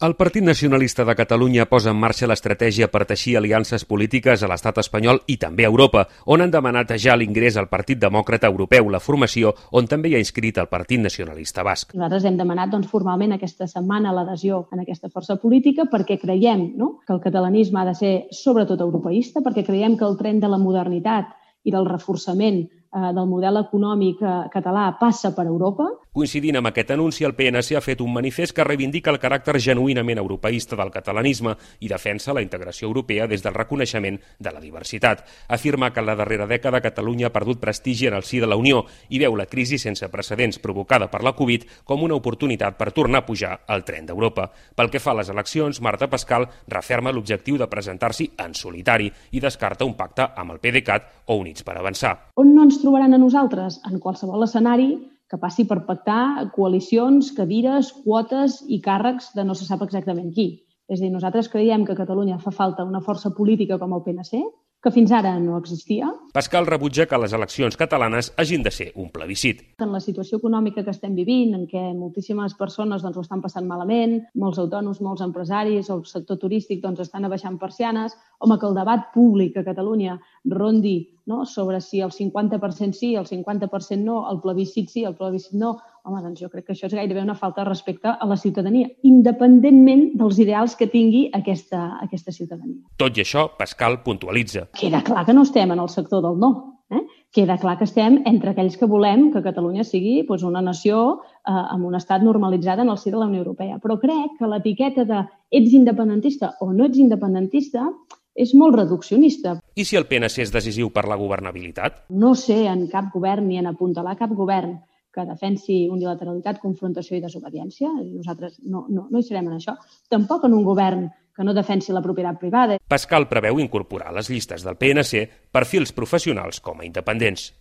El Partit Nacionalista de Catalunya posa en marxa l'estratègia per teixir aliances polítiques a l'estat espanyol i també a Europa, on han demanat ja l'ingrés al Partit Demòcrata Europeu, la formació on també hi ha inscrit el Partit Nacionalista Basc. Nosaltres hem demanat formalment aquesta setmana l'adhesió en aquesta força política perquè creiem que el catalanisme ha de ser sobretot europeista, perquè creiem que el tren de la modernitat i del reforçament del model econòmic català passa per Europa. Coincidint amb aquest anunci, el PNC ha fet un manifest que reivindica el caràcter genuïnament europeista del catalanisme i defensa la integració europea des del reconeixement de la diversitat. Afirma que en la darrera dècada Catalunya ha perdut prestigi en el si de la Unió i veu la crisi sense precedents provocada per la Covid com una oportunitat per tornar a pujar al tren d'Europa. Pel que fa a les eleccions, Marta Pascal referma l'objectiu de presentar-s'hi en solitari i descarta un pacte amb el PDeCAT o Units per Avançar. On no ens trobaran a nosaltres? En qualsevol escenari que passi per pactar coalicions, cadires, quotes i càrrecs de no se sap exactament qui. És a dir, nosaltres creiem que a Catalunya fa falta una força política com el PNC, que fins ara no existia. Pascal rebutja que les eleccions catalanes hagin de ser un plebiscit. En la situació econòmica que estem vivint, en què moltíssimes persones ho estan passant malament, molts autònoms, molts empresaris, el sector turístic estan abaixant persianes, home, que el debat públic a Catalunya rondi sobre si el 50% sí, el 50% no, el plebiscit sí, el plebiscit no, home, doncs jo crec que això és gairebé una falta de respecte a la ciutadania, independentment dels ideals que tingui aquesta ciutadania. Tot i això, Pascal puntualitza. Queda clar que no estem en el sector del no. Queda clar que estem entre aquells que volem que Catalunya sigui una nació amb un estat normalitzat en el si de la Unió Europea. Però crec que l'etiqueta de ets independentista o no ets independentista és molt reduccionista. I si el PNC és decisiu per la governabilitat? No sé en cap govern ni en apuntalar cap govern que defensi unilateralitat, confrontació i desobediència. Nosaltres no hi serem en això. Tampoc en un govern que no defensi la propietat privada. Pascal preveu incorporar a les llistes del PNC perfils professionals com a independents.